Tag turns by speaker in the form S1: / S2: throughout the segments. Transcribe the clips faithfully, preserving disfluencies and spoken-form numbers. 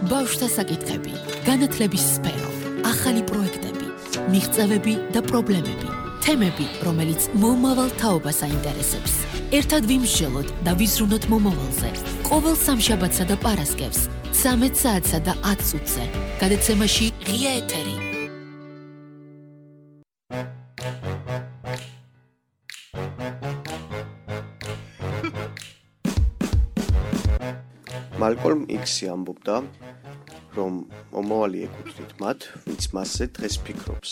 S1: ბავშვთა საკითხები, განათლების სფერო, ახალი პროექტები, მიღწევები და პრობლემები, თემები, რომელიც მომავალ თაობას აინტერესებს. ერთად ვიმსჯელოთ და ვიზრუნოთ მომავალზე. ყოველ სამშაბათსა და პარასკევს, ცამეტ საათსა და ათ წუთზე. გადაცემაში ღია ეთერი.
S2: მალკოლმ იქსი ამბობდა, რომ მომავალი ეკუთვნით მათ, ვინც მასზე დღეს ფიქრობს.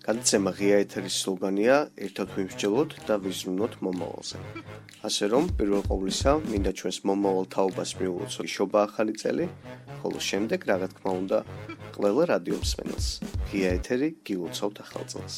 S2: გადაცემა ღია ეთერის სლოგანია ერთად ვიმსჯელოთ და ვიზრუნოთ მომავალზე. ასე რომ, პირველ ყოვლისა, მინდა ჩვენს მომავალ თაობას მიულოცოთ შობა ახალი წელი, ხოლო შემდეგ, რა თქმა უნდა, ყველა რადიო მსმენელს. ღია ეთერი გილოცავთ ახალ წელს.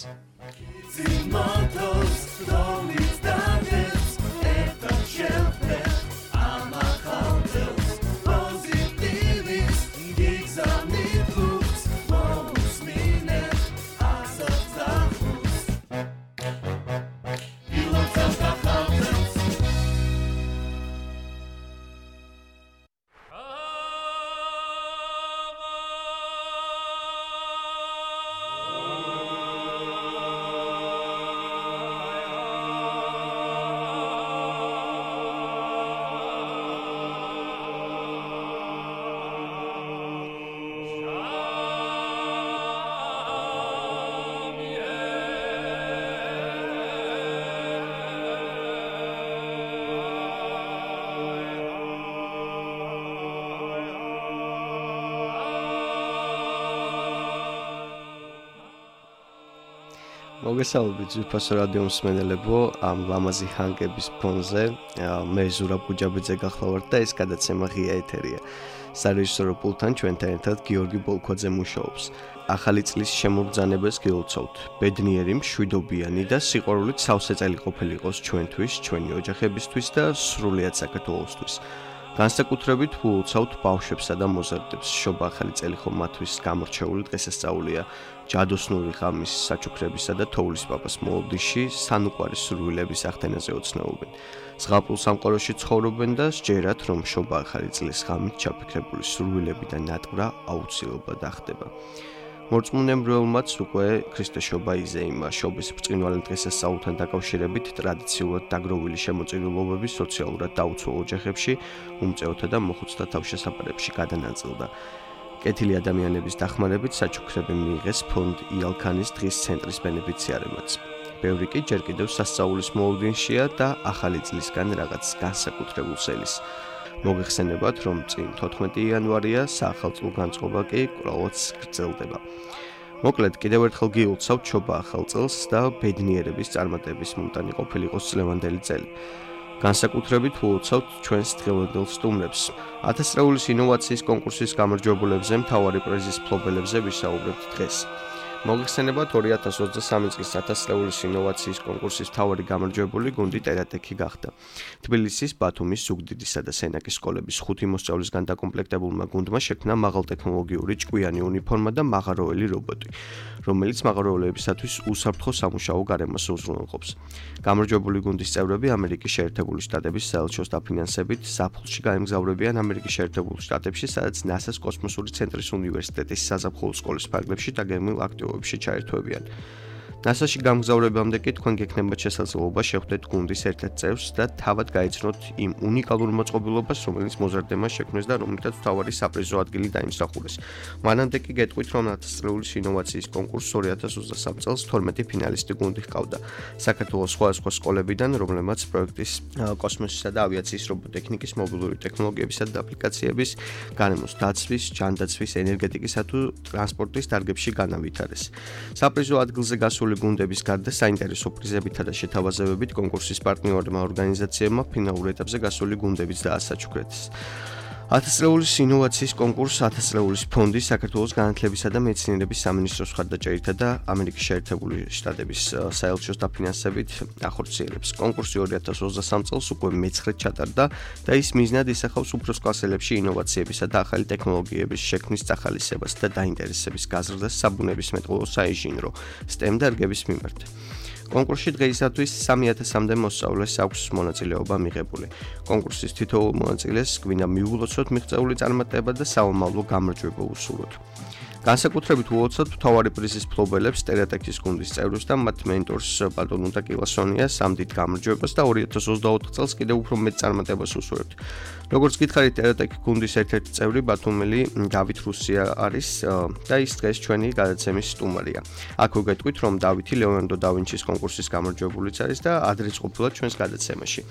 S2: მოგესალმებით ძვირფასო რადიო მსმენელებო, ამ ლამაზი ჰანგების ფონზე მე ზურაბ გუჯაბიძე გახლავართ და ეს გადაცემა ღია ეთერია. სარეჟისორო პულტთან ჩვენთან ერთად გიორგი ბოლქვაძე მუშაობს. ახალი წლის შემოგზანებას გილოცავთ. ბედნიერი, მშვიდობიანი და სიყვარულით სავსე წელი ყოფილიყოს ჩვენთვის, ჩვენი ოჯახებისთვის და სრულიად საქართველოსთვის. განსაკუთრებით ვულოცავთ ბავშვებსა და მოზარდებს. შობა ახალი წელი ხომ მათთვის გამორჩეული დღესასწაულია. ჯადოსნური ღამის საჩუქრებისა და თოვლის პაპას მოლოდიში სანუკვარი სურვილების ახდენაზე ოცნებობენ. ზღაპრულ სამყაროში ცხოვრობენ და სჯერათ, რომ შობა ახალი წლის ღამით ჩაფიქრებული სურვილები და ნატვრა აუცილებლად ახდება. მორწმუნეებმაც უკვე ქრისტეს შობა იზეიმა. შობის ბრწყინვალე დღესასწაულთან დაკავშირებით ტრადიციულად დაგროვილი შემოწირულობები სოციალურად დაუცველ ოჯახებში, უმწეოთა და მოხუცთა თავშესაფარებში გადანაწილდა. კეთილი ადამიანების დახმარებით საჩუქრები მიიღეს ფონდ იალქანის დღის ცენტრის ბენეფიციარებმაც. ბევრი კი ჯერ კიდევ სასწაულის მოლოდინშია და ახალი წლისგან რაღაც განსაკუთრებულს ელის. მოგეხსენებათ, რომ წინ თოთხმეტი იანვარია, საახალწლო განწყობა კი კვლავაც გრძელდება. მოკლედ, კიდევ ერთხელ გილოცავთ შობა ახალ წელს და ბედნიერების წარმატების მომტანი ყოფილიყოს წლევანდელი წელი. განსაკუთრებით ვულოცავთ ჩვენს დღევანდელ სტუმრებს. ათასწლეულის ინოვაციის კონკურსის გამარჯვებულებზე, მთავარი პრიზის მფლობელებზე ვისაუბრებთ დღეს. მოგეხსენებათ, ორი ათას ოცდასამი წლის ათასწლეულის ინოვაციის კონკურსის მთავარი გამარჯვებული გუნდი ტერატექი გახდა. თბილისის, ბათუმის, ზუგდიდისა და სენაკის სკოლების ხუთი მოსწავლისგან დაკომპლექტებულმა გუნდმა შექმნა მაღალტექნოლოგიური ჭკვიანი უნიფორმა და მაღაროელი რობოტი, რომელიც მაღაროელებისათვის უსაფრთხო სამუშაო გარემოს უზრუნველყოფს. გამარჯვებული გუნდის წევრები ამერიკის შეერთებული შტატების საელჩოს დაფინანსებით ზაფხულში გაემგზავრებიან ამერიკის შეერთებულ შტატებში, სადაც ნასას კოსმოსური ცენტრის უნივერსიტეტის საზაფხულო სკოლის ფარგლებში დაგეგმილ აქტივობებში ჩაერთვებიან. ნასაში გამგზავრებამდე კი თქვენ გექნებათ შესაძლებლობა შეხვდეთ გუნდის ერთ-ერთ წევრს და თავად გაიცნოთ იმ უნიკალურ მოწყობილობას, რომელიც მოზარდმა შექმნეს და რომლითაც მთავარი საპრიზო ადგილი დაიმსახურეს. მანამდე კი გეტყვით, რომ ათასწლეულის ინოვაციის კონკურსს ორი ათას ოცდასამი წელს თორმეტი ფინალისტი გუნდი ჰყავდა. საქართველოს სხვადასხვა სკოლებიდან, რომლებმაც პროექტის კოსმოსისა და ავიაციის რობოტექნიკის, მობილური ტექნოლოგიებისა და აპლიკაციების, გარემოს დაცვის, ჯანდაცვის, ენერგეტიკისა თუ ტრანსპორტის დარგებში განავითარეს. საპრიზო ადგილზე გასული გუნდების გარდა საინტერესო პრიზებითა და შეთავაზებებით კონკურსის პარტნიორმა ორგანიზაციებმა ფინალურ ეტაპზე გასული გუნდებიც დაასაჩუქრეს. ათასწლეულის ინოვაციის კონკურსს ათასწლეულის ფონდი, საქართველოს განათლებისა და მეცნიერების სამინისტროს მხარდაჭერითა და ამერიკის შეერთებული შტატების საელჩოს დაფინანსებით ახორციელებს. კონკურსი ორი ათას ოცდასამი წელს უკვე მეცხრედ ჩატარდა და ის მიზნად ისახავს უფროს კლასელებში ინოვაციებისა და ახალი ტექნოლოგიების შექმნის წახალისებას და დაინტერესების გაზრდას საბუნებისმეტყველო საინჟინრო STEM დარგების მიმართ. კონკურსში დღეისათვის სამი ათასამდე მოსწავლეს აქვს მონაწილეობა მიღებული. კონკურსის თითოეულ მონაწილეს გვინდა მიულოცოთ მიღწეული წარმატება და საომავლო გამარჯვება უსურვოთ. განსაკუთრებით უოცოთ მთავარი პრიზის მფლობელებს ტერატექის გუნდის წევრებს და მათ მენტორს ბატონ უნდა კილასონიას ამ დიდ გამარჯვებას და ორი ათას ოცდაოთხ წელს კიდევ უფრო მეტ წარმატებას უსურვებთ. როგორც გითხარით, ტერატექი გუნდის ერთ-ერთი წევრი ბათუმელი დავით რუსია არის და ის დღეს ჩვენი გადაცემის სტუმარია. აქ ვგეტყვით, რომ დავითი ლეონარდო და ვინჩის კონკურსის გამარჯვებულიც არის და ადრეც ყოფილა ჩვენს გადაცემაში.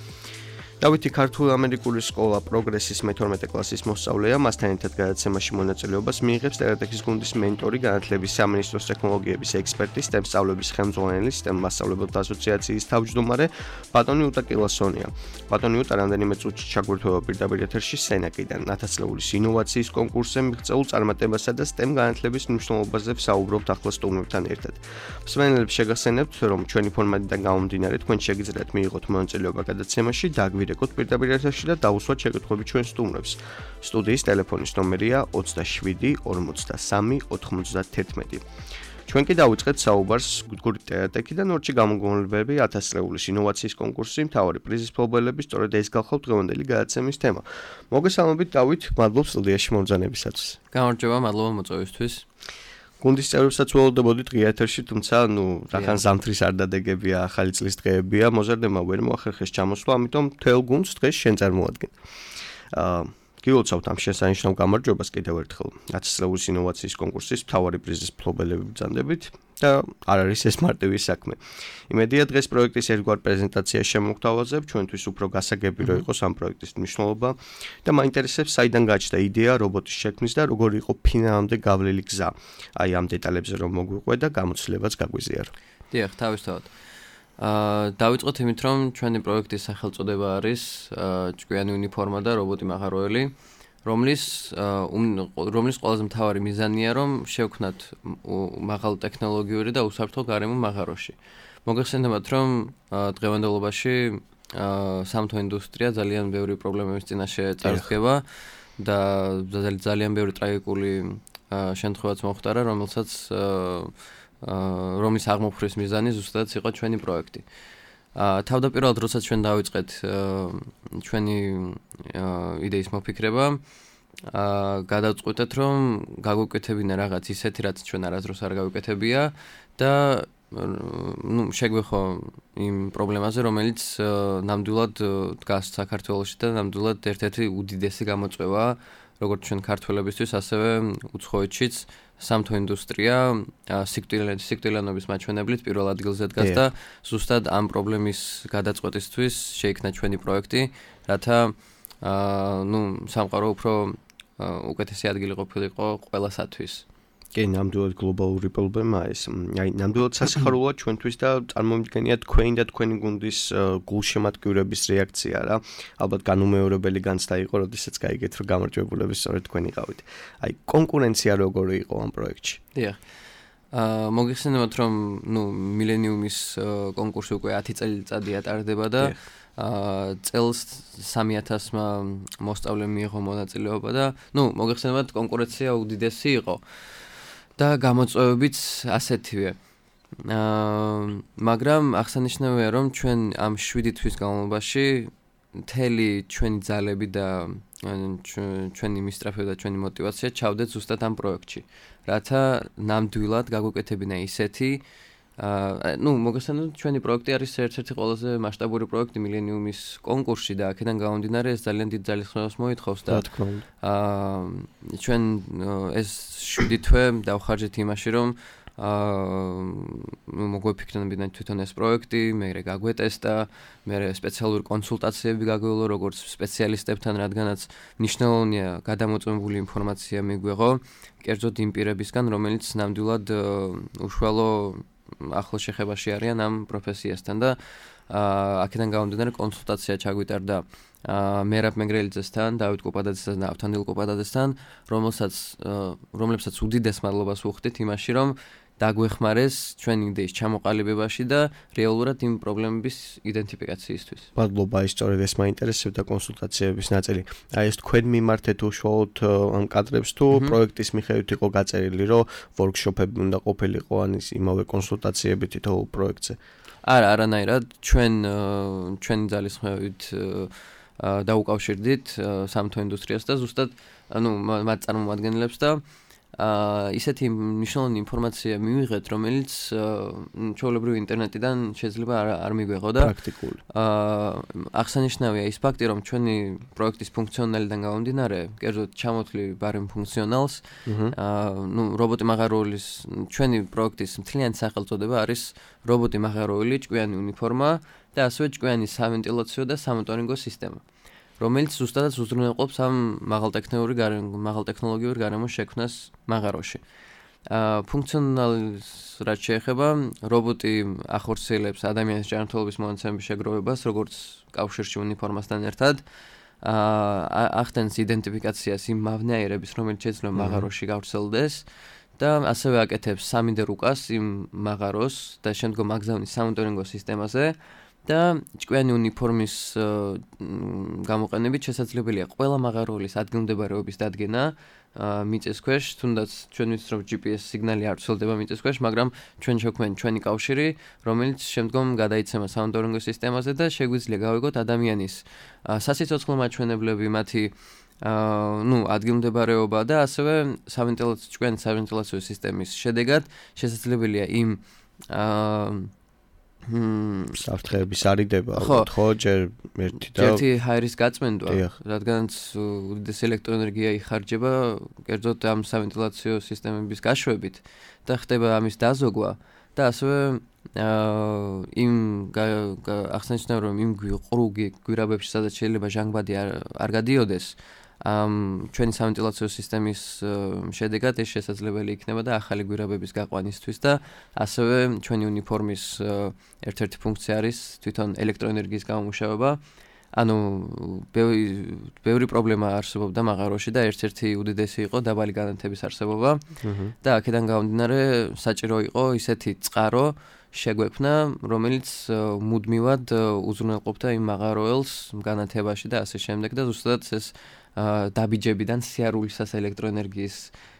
S2: დავითი ქართულ-ამერიკული სკოლა პროგრესის მეთორმეტე კლასის მოსწავლეა, მასთან ერთად გადაცემაში მონაწილეობას მიიღებს ტერატექის გუნდის მენტორი, განათლების სამინისტროს ტექნოლოგიების ექსპერტი, STEM სწავლების ხელმძღვანელი, STEM მასწავლებელთა ასოციაციის თავმჯდომარე, ბატონი უტა კილასონია. ბატონი უტა რამდენიმე წუთში ჩაგვირთვება პირდაპირ ეთერში სენაკიდან, ათასწლეულის ინოვაციის კონკურსზე მიღწეულ წარმატებასა და STEM განათლების მნიშვნელობაზე ვსაუბრობთ ახლა სტუმრებთან ერთად. მსმენელებს შეგახსენებთ, რომ ჩვენი ფორმატიდან გამომდინარე, თქვენ შეგიძლიათ მიიღოთ მონაწილეობა გადაცემაში და რეკორდ პირდაპირ ეთერში და დაუსვათ შეკითხვები ჩვენ სტუმრებს. სტუდიის ტელეფონის ნომერია ოცდაშვიდი ორმოცდასამი ოთხმოცდათერთმეტი. ჩვენ კი დავიწყეთ საუბარს გუნდის ტერატექიდან ორჩი გამოგონებები ათასწლეულის ინოვაციის კონკურსი, მთავარი პრიზის მფლობელები, სწორედ ეს გახლავთ დღევანდელი გადაცემის თემა. მოგესალმებით დავით, მადლობ სტუდიაში მომბრძანებისათვის.
S3: გამარჯობა, მადლობა მოწვევისთვის.
S2: გუნდის წევრებსაც ველოდებოდით ღია ეთერში, თუმცა ნუ რახან ზამთრის არ დადეგებია, ახალი წლის დღეებია, მოზარდება ვერ მოახერხეს ჩამოსვლა, ამიტომ მთელ გუნდს დღეს შენ წარმოადგენ. აა გილოცავთ ამ შესანიშნავ გამარჯვებას კიდევ ერთხელ. ათასწლეულის ინოვაციის კონკურსის მთავარი პრიზის მფლობელები ბრძანდებით და არ არის ეს მარტივი საქმე. იმედია დღეს პროექტის ერთგვარ პრეზენტაცია შემოგთავაზებ, ჩვენთვის უფრო გასაგები რო იყოს ამ პროექტის მნიშვნელობა და მაინტერესებს საიდან გაჩნდა იდეა რობოტის შექმნის და როგორი იყო ფინალამდე გავლილი გზა. აი ამ დეტალებზე რომ მოგვიყვე და გამოცდილებაც გაგვიზიარო.
S3: დიახ, თავისთავად. აა დავიწყოთ იმით, რომ ჩვენი პროექტის სახელწოდება არის ჭკვიანი უნიფორმა და რობოტი მაღაროელი, რომლის რომლის ყველაზე მთავარი მიზანია, რომ შევქმნათ მაღალ ტექნოლოგიური და უსაფრთხო გარემო მაღაროში. მოგეხსენებათ, რომ დღევანდელობაში სამთო ინდუსტრია ძალიან ბევრი პრობლემების წინაშე წარსდგება და ძალიან ბევრი ტრაგიკული შემთხვევაც მოხდარა, რომელსაც რომლის აღმოფხრის მიზანი ზუსტადაც იყო ჩვენი პროექტი. თავდაპირველად, როდესაც ჩვენ დავიწყეთ ჩვენი იდეის მოფიქრება, გადავწყვიტეთ, რომ გაგვიკეთებინა რაღაც ისეთი, რაც ჩვენ არასდროს არ გავიკეთებია და ну, შეგვეხო იმ პრობლემაზე, რომელიც ნამდვილად დგას საქართველოში და ნამდვილად ერთ-ერთი უდიდესი გამოწვევა, როგორც ჩვენ ქართველებისთვის, ასევე უცხოეთშიც სამთო ინდუსტრია სიკვდილიანობის მაჩვენებლით პირველ ადგილზე დგას და ზუსტად ამ პრობლემის გადაწყვეტისთვის შეიქმნა ჩვენი პროექტი, რათა ну, სამყარო უფრო უკეთესი ადგილი ყოფილიყო ყველასათვის.
S2: კი, ნამდვილად გლობალური პრობლემაა ეს. აი, ნამდვილად სასიხარულოა ჩვენთვის და წარმომიდგენია თქვენი და თქვენი გუნდის გულშემატკივრების რეაქცია რა. ალბათ განუმეორებელი განცდა იყო, როდესაც გაიგეთ, რომ გამარჯვებულები სწორედ თქვენი ყავით. აი, კონკურენცია როგორი იყო ამ პროექტში?
S3: დიახ. აა მოგეხსენებათ, რომ ნუ მილენიუმის კონკურსი უკვე ათი წელიწადი ატარდება და აა წელს სამი ათასმა მოსწავლემ მიიღო მონაწილეობა და ნუ მოგეხსენებათ, კონკურენცია უდიდესი იყო. და გამოწვევებიც ასეთივე. აა მაგრამ აღსანიშნავია, რომ ჩვენ ამ შვიდი თვის განმავლობაში მთელი ჩვენი ძალები და ჩვენი მისწრაფება და ჩვენი мотиваცია ჩავდეთ ზუსტად ამ პროექტში. რათა ნამდვილად გაგვეკეთებინა ისეთი აა ну, მოგესალმებით, ჩვენი პროექტი არის ერთ-ერთი ყველაზე მასშტაბური პროექტი მილენიუმის კონკურსში და აქედან გამომდინარე ეს ძალიან დიდ ძალისხმევას მოითხოვს და აა ჩვენ ეს შვიდი თვე დავხარჯეთ იმაში, რომ აა მოგვეფიქრებინა თვითონ ეს პროექტი, მერე გაგვეტესტა, მერე სპეციალური კონსულტაციები გაგვეულო როგორც სპეციალისტებთან, რადგანაც მნიშვნელოვანია გადამოწმებული ინფორმაცია მიგვეღო, კერძოდ იმ პირებისგან, რომელიც ნამდვილად უშუალო ახლო შეხებაში არიან ამ პროფესიასთან და აქედან გამომდინარე კონსულტაცია ჩაგვიტარდა მერაბ მეგრელიძესთან, დავით კუპადაძესთან და ავთანდილ კუპადაძესთან, რომელსაც რომლებსაც უდიდეს მადლობას ვუხდით იმაში, რომ დაგვეხმარეს ჩვენი იდეის ჩამოყალიბებაში და რეალურად იმ პრობლემების იდენტიფიკაციისთვის.
S2: მადლობა, ისტორიად ეს მაინტერესებდა კონსულტაციების ნაწილი. აი ეს თქვენ მიმართეთ უშუალოდ ამ კადრებს თუ პროექტის მიხედვით იყო გაწერილი, რომ ვორქშოპები უნდა ყოფილიყო ან ის იმავე კონსულტაციები თითოეულ პროექტზე?
S3: არა, არანაირად, ჩვენ ჩვენი ძალისხმევით დაუკავშირდით სამთო ინდუსტრიას და ზუსტად ანუ მათ წარმომადგენლებს და აა ისეთი მნიშვნელოვანი ინფორმაცია მივიღეთ, რომელიც ჩვეულებრივ ინტერნეტიდან შეიძლება არ არ მიგვეღო და
S2: პრაქტიკული.
S3: აა აღსანიშნავია ის ფაქტი, რომ ჩვენი პროექტის ფუნქციონალიდან გამომდინარე, კერძოდ ჩამოთვლი ბარემ ფუნქციონალს, აა ნუ რობოტი მაღაროულის ჩვენი პროექტის მთლიანი სახელწოდება არის რობოტი მაღაროული, ჭკვიანი უნიფორმა და ასევე ჭკვიანი სავენტილაციო და სამონიტორინგო სისტემა. რომელიც ზუსტადაც უზრუნველყოფს ამ მაღალტექნოლოგიური მაღალტექნოლოგიური გარემოს შექმნას მაღაროში. აა ფუნქციონალს რაც შეეხება, რობოტი ახორციელებს ადამიანის ჯანმრთელობის მონაცემების შეგროვებას, როგორც კავშირში უნიფორმასთან ერთად. აა ახდენს იდენტიფიკაციას იმ მავნეაირების, რომელიც შეიძლება მაღაროში გავრცელდეს და ასევე აკეთებს სამი დე რუკას იმ მაღაროს და შემდგომ აგზავნის სამონიტორინგო სისტემაზე. და ჭკვიანი უნიფორმის გამოყენებით შესაძლებელია ყველა მაღაროულის ადგილმდებარეობის დადგენა მიწის ქვეშ, თუნდაც ჩვენ ვიცით რომ ჯი პი ეს სიგნალი არ ვრცელდება მიწის ქვეშ, მაგრამ ჩვენ შევქმნით ჩვენი კავშირი, რომელიც შემდგომ გადაიცემა სამონიტორინგო სისტემაზე და შეგვიძლია გავიგოთ ადამიანის სასიცოცხლო მაჩვენებლები, მათი ну, ადგილმდებარეობა და ასევე სავენტილაციო ჭკვიანი სავენტილაციო სისტემის შედეგად შესაძლებელია იმ
S2: საფრთხეების არიდება, ალბათ ხო, ჯერ ერთი და
S3: ერთი ჰაერის გაწმენდვა, რადგანაც უდიდესი ელექტროენერგია იხარჯება, კერძოდ ამ სავენტილაციო სისტემების გაშვებით და ხდება ამის დაზოგვა და ასევე იმ ახსენებთ რომ იმ ყრუ გვირაბებში სადაც შეიძლება ჟანგბადი არ გადიოდეს ამ ჩვენი სავენტილაციო სისტემის შედეგად ეს შესაძლებელი იქნება და ახალი გვირაბების გაყვანისთვის და ასევე ჩვენი უნიფორმის ერთ-ერთი ფუნქცია არის თვითონ ელექტროენერგიის გამომუშავება. ანუ ბევრი პრობლემა არსებობდა მაღაროში და ერთ-ერთი უდიდესი იყო დაბალი განათების არსებობა და აქედან გამომდინარე საჭირო იყო ისეთი წყარო შეგვექმნა, რომელიც მუდმივად უზრუნველყოფდა იმ მაღაროელს განათებაში და ასე შემდეგ და ზუსტად ეს დაბიჯებიდან სიარულისას ელექტროენერგიის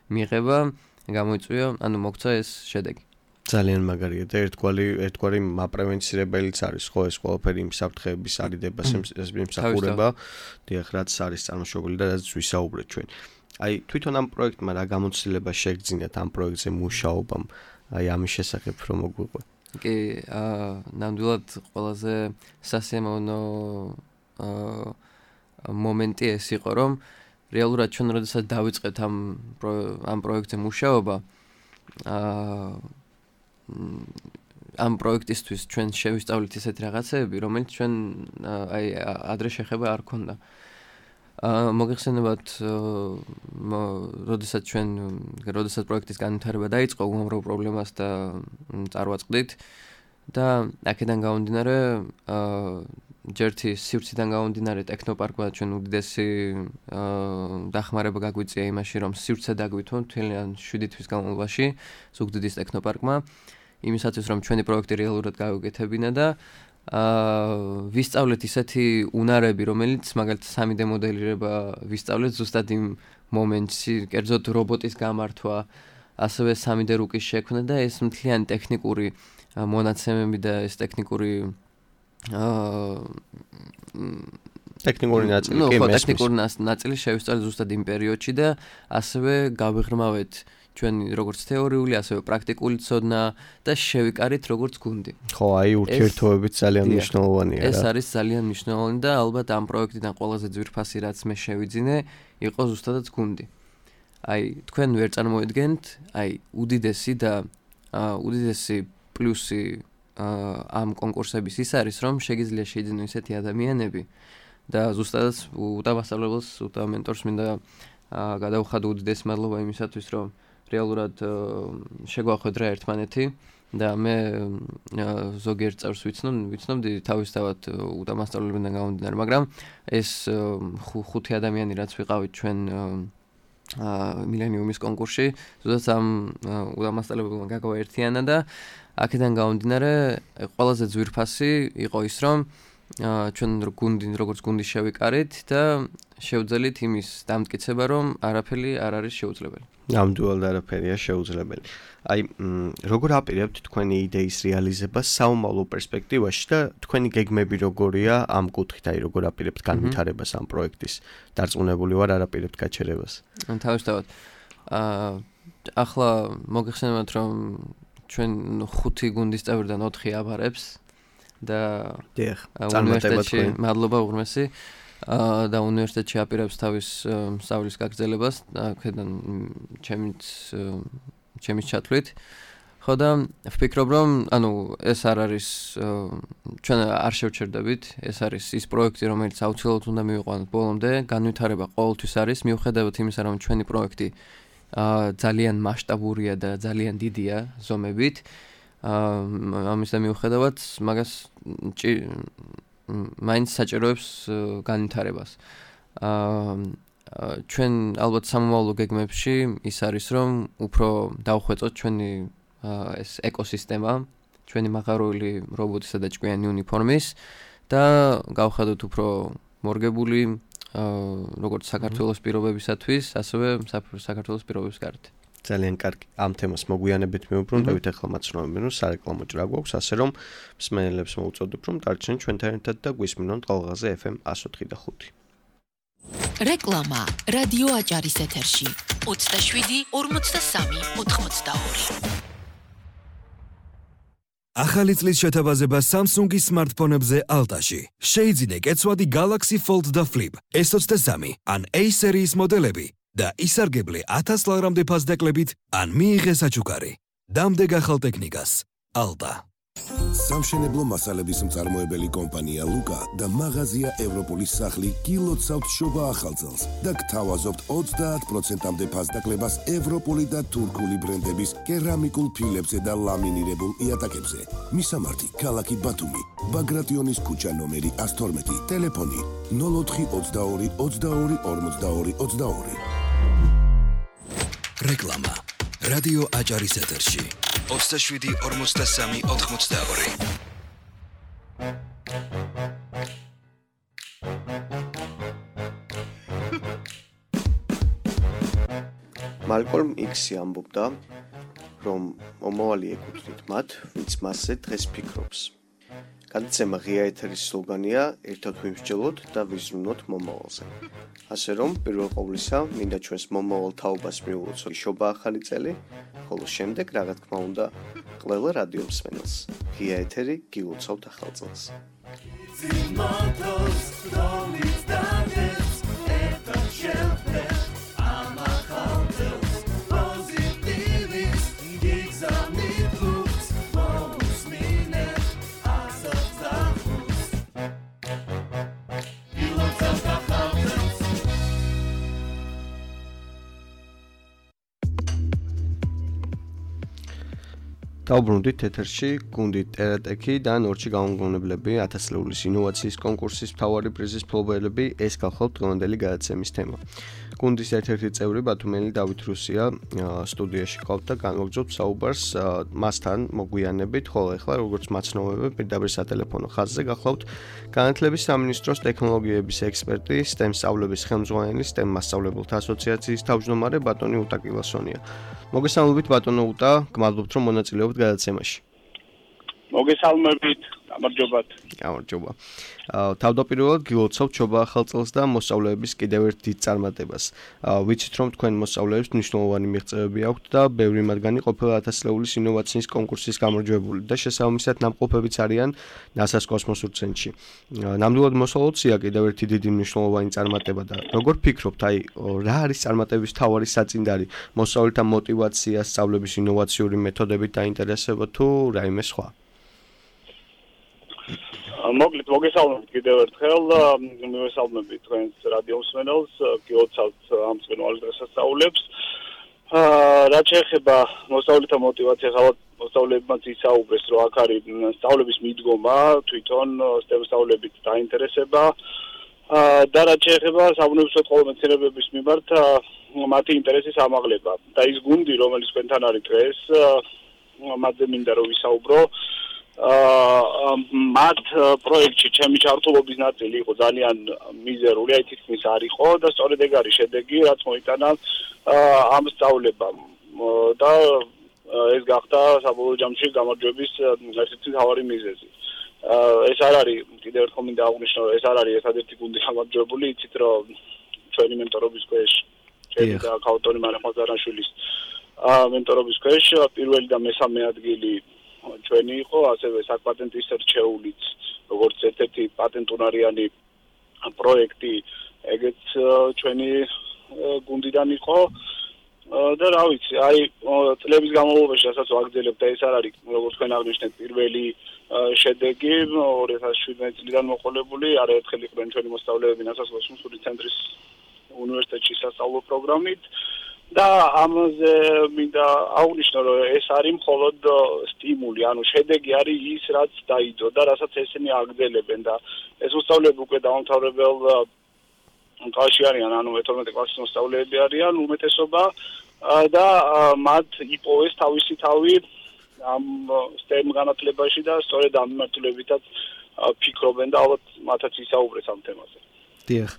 S3: მიღება გამოიწვია, ანუ მოგცა ეს შედეგი.
S2: ძალიან მაგარია და ერთგვარი ერთგვარი მაპრევენცირებელიც არის ხო ეს ყველაფერი იმ საფრთხეების არიდებას იმსახურება, დიახ, რაც არის წარმოშობილი და რაც ვისაუბრეთ ჩვენ. აი თვითონ ამ პროექტმა რა გამოცდილება შეგძინათ ამ პროექტზე მუშაობამ, აი ამის შესახებ რომ მოგვიყვე.
S3: კი, აა ნამდვილად ყველაზე სასიამოვნო აა მომენტი ეს იყო, რომ რეალურად ჩვენ როდესაც დავიწყეთ ამ ამ პროექტზე მუშაობა, აა ამ პროექტისთვის ჩვენ შევისწავლით ისეთი რაღაცეები, რომელიც ჩვენ აი ადრე შეხება არ ქონდა. აა მოგეხსენებათ, როდესაც ჩვენ როდესაც პროექტის განვითარება დაიწყო, უამრავ პრობლემას და წარვაწყდით და აქედან გამომდინარე აა ჯერთი სივრციდან გამომდინარე ტექნოპარკმა ჩვენ უდიდესი დახმარება გაგვიწია იმაში, რომ სივრცე დაგვითმო მთლიან შვიდი თვის განმავლობაში ზუგდიდის ტექნოპარკმა, იმისათვის რომ ჩვენი პროექტი რეალურად გავუკეთებინა და აა ვისწავლეთ ისეთი უნარები, რომელიც მაგალითად სამი დე მოდელირება ვისწავლეთ ზუსტად იმ მომენტში, კერძოდ რობოტის გამართვა, ასევე სამი დე რუკის შექმნა და ეს მთლიანი ტექნიკური მონაცემები და ეს ტექნიკური აა
S2: ტექნიკური ნაწილი კი
S3: მესმის. ნუ ტექნიკური ნაწილი შევისწავლეთ ზუსტად იმ პერიოდში და ასევე გავიღრმავეთ ჩვენი როგორც თეორიული, ასევე პრაქტიკული ცოდნა და შევიკარით როგორც გუნდი.
S2: ხო, აი ურთიერთობებით ძალიან მნიშვნელოვანია რა.
S3: ეს არის ძალიან მნიშვნელოვანი და ალბათ ამ პროექტიდან ყველაზე ძვირფასი რაც მე შევიძინე, იყო ზუსტადაც გუნდი. აი თქვენ ვერ წარმოედგენთ, აი უდიდესი და უდიდესი პლუსი ამ კონკურსების ის არის, რომ შეგიძლია შეიძინო ისეთი ადამიანები და ზუსტადაც უტამასწავლებელს, უტამენტორს მინდა გადავხადო უდიდესი მადლობა იმისათვის, რომ რეალურად შეგვახვედრა ერთმანეთი და მე ზოგიერთ წევრს ვიცნობ, ვიცნობდი თავისთავად უტამასწავლებელიდან გამომდინარე, მაგრამ ეს ხუთი ადამიანი რაც ვიყავით ჩვენ მილენიუმის კონკურსში, ზუსტად ამ უდამასწრებლებმა გაგაერთიანა და აქედან გამომდინარე ყველაზე ძვირფასი იყო ის, რომ ჩვენ გუნდი როგორც გუნდი შევიკარით და შევძელით იმის დამტკიცება, რომ არაფერი არ არის შეუძლებელი.
S2: ნამდვილად არაფერია შეუძლებელი. აი, როგორ აპირებთ თქვენი იდეის რეალიზებას საომავლო პერსპექტივაში და თქვენი გეგმები როგორია ამ კუთხით, აი როგორ აპირებთ განვითარებას ამ პროექტის? დარწმუნებული ვარ, არ აპირებთ გაჩერებას.
S3: თავისთავად. აა ახლა მოგეხსენებათ, რომ ჩვენ ხუთი გუნდის წევრიდან ოთხი აბარებს და უნივერსიტეტში მადლობა უღრმესი და უნივერსიტეტში აპირებს თავის სწავლის გაგრძელებას აქედან ჩემიც ჩემის ჩათვლით. ხო და ვფიქრობ, რომ ანუ ეს არ არის ჩვენ არ შევჩერდებით, ეს არის ის პროექტი, რომელიც აუცილებლად უნდა მივიყვანოთ ბოლომდე, განვითარება ყოველთვის არის, მიუხედავად იმისა, რომ ჩვენი პროექტი ძალიან მასშტაბურია და ძალიან დიდია ზომებით. ამის და მიუხედავად მაგას მაინც საჭიროებს განვითარებას. ჩვენ ალბათ სამომავლო გეგმებში ის არის, რომ უფრო დავხვეწოთ ჩვენი ეს ეკოსისტემა, ჩვენი მაღაროელი რობოტისა და ჭკვიანი უნიფორმის და გავხადოთ უფრო მორგებული როგორც საქართველოს პირობებისათვის, ასევე საქართველოს პირობების გარეთ.
S2: ძალიან კარგი. ამ თემას მოგვიანებით მივუბრუნდებით, ახლა მაცნობები, რომ სარეკლამო ჭრა გვაქვს, ასე რომ მსმენელებს მოვუწოდებ, რომ დარჩენ ჩვენთან ერთად და გვისმინონ ტალღაზე ეფ ემ one oh five point five.
S1: რეკლამა რადიო აჭარის ეთერში ოცდაშვიდი ორმოცდასამი ოთხმოცდაორი.
S4: ახალი წლის შეთავაზება Samsung-ის smartphone-ებზე Alta-ში. შეიძინე კეცვადი Galaxy Fold და Flip S twenty-three ან A სერიის მოდელები და ისარგებლე ათას ლარამდე ფასდაკლებით ან მიიღე საჩუქარი. დამდეგ ახალ ტექნიკას. Alta.
S5: სამშენებლო მასალების მწარმოებელი კომპანია ლუკა და მაღაზია ევროპოლის სახლი გილოცავთ შობა ახალწელს და გთავაზობთ ოცდაათ პროცენტამდე ფასდაკლებას ევროპული და თურქული ბრენდების კერამიკულ ფილებზე და ლამინირებულ იატაკებზე. მისამართი: ქალაქი ბათუმი, ბაგრატიონის ქუჩა ნომერი one twelve, ტელეფონი nol four twenty-two twenty-two forty-two twenty-two.
S4: რეკლამა რადიო აჭარის ეთერში ოცდაშვიდი ორმოცდასამი ოთხმოცდაორი.
S2: მალკოლმ იქსი ამბობდა, რომ მომავალი ეკუთვნით მათ, ვინც მასზე დღეს ფიქრობს. გადაცემა ღია ეთერის სლოგანია ერთად ვიმსჯელოთ და ვიზრუნოთ მომავალზე. ასე რომ, პირველ ყოვლისა, მინდა ჩვენს მომავალ თაობას მივუწოდოთ შობა ახალი წელი, ხოლო შემდეგ, რა თქმა უნდა, ყველა რადიო მსმენელს. ღია ეთერი გილოცავთ ახალ წელს. დავბრუნდით ეთერში გუნდი ტერატექი და ნორჩი გამომგონებლები ათასლეულის ინოვაციის კონკურსის მთავარი პრიზის მფლობელები ეს გახლავთ დღევანდელი გადაცემის თემა. გუნდის ერთ-ერთი წევრი ბათუმელი დავით რუსია სტუდიაში ყავთ და განვაგრძობთ საუბარს მასთან მოგვიანებით, ხოლო ახლა როგორც მაცნობები პირდაპირ სატელეფონო ხაზზე გახლავთ განათლების სამინისტროს ტექნოლოგიების ექსპერტი, STEM სწავლების ხელმძღვანელი, STEM მასწავლებელთა ასოციაციის თავმჯდომარე ბატონი უტა კილასონია. მოგესალმებით ბატონო უტა, გმადლობთ რომ მონაწილეობთ გადაცემაში.
S6: მოგესალმებით, გამარჯობათ.
S2: გამარჯობა. თავდაპირველად გილოცავთ შობა ახალ წელს და მოსწავლეების კიდევ ერთ დიდ წარმატებას. ვიცით რომ თქვენ მოსწავლეებს მნიშვნელოვანი მიღწევები აქვთ და ბევრი მათგანი ყოფილი ათასლეულის ინოვაციის კონკურსის გამარჯვებული და შესაბამისად ნამყოფებიც არიან ნასას კოსმოსურ ცენტრში. ნამდვილად მოსალოდსია კიდევ ერთი დიდი მნიშვნელოვანი წარმატება და როგორ ფიქრობთ, აი რა არის წარმატების მთავარი საწინდარი? მოსწავლეთა мотиваცია, სწავლების ინოვაციური მეთოდებით დაინტერესება თუ რაიმე სხვა?
S6: მოკლედ მოგესალმებით კიდევ ერთხელ, მივესალმები თქვენს რადიო მსმენელს, გილოცავთ ამ წვენვალ დღესასწაულებს. რაც შეეხება მოსწავლეთა мотиваციას, ალბათ მოსწავლეებმაც ისაუბრეს, რომ აქ არის სწავლების მიდგომა, თვითონ STEM სწავლებით დაინტერესება და რაც შეეხება საბუნებისმეტყველო მეცნიერებების მიმართ მათი ინტერესის ამაღლება და ის გუნდი რომელიც თქვენთან არის დღეს მათზე მინდა რომ ვისაუბრო აა მათ პროექტში ჩემი ჩართულობის ნაწილი იყო ძალიან მიზერული, აი თითქმის არ იყო და სწორედ ეგ არის შედეგი, რაც მოიტანა ამ სწავლებამ და ეს გახდა საბოლოო ჯამში გამარჯვების ერთ-ერთი მთავარი მიზეზი. ეს არ არის კიდევ ერთხელ მინდა აღვნიშნო, ეს არ არის ერთადერთი გუნდი გამარჯვებული, იცით რომ ჩვენი მენტორობის ქვეშ ჩემი და ქაუტონი მარეხმაზარაშვილის მენტორობის ქვეშ პირველი და მესამე ადგილი ჩვენი იყო, ასევე საკპატენტის რჩეულიც, როგორც ერთ-ერთი პატენტუნარიანი პროექტი, ეგეც ჩვენი გუნდიდან იყო და რა ვიცი, აი წლების განმავლობაში რასაც ვაგრძელებ და ეს არ არის, როგორც თქვენ აღნიშნეთ, პირველი შედეგი ორი ათას შვიდმეტი წლიდან მოყოლებული, არაერთხელ იყვნენ ჩვენი მოსწავლეები ნასასხლოს მსხვილი ცენტრის უნივერსიტეტში სასწავლო პროგრამით და ამაზე მინდა აღვნიშნო, რომ ეს არის მხოლოდ სტიმული, ანუ შედეგი არის ის, რაც დაიდო და რასაც ესენი აგრძელებენ და ეს მოსწავლეები უკვე დაუმთავრებელ კლასში არიან, ანუ მეთორმეტე კლასის მოსწავლეები არიან უმეტესობა და მათ იპოვეს თავისი თავი ამ STEM განათლებაში და სწორედ ამ მიმართულებითაც ფიქრობენ და ალბათ მათაც ისაუბრეს ამ თემაზე.
S2: დიახ,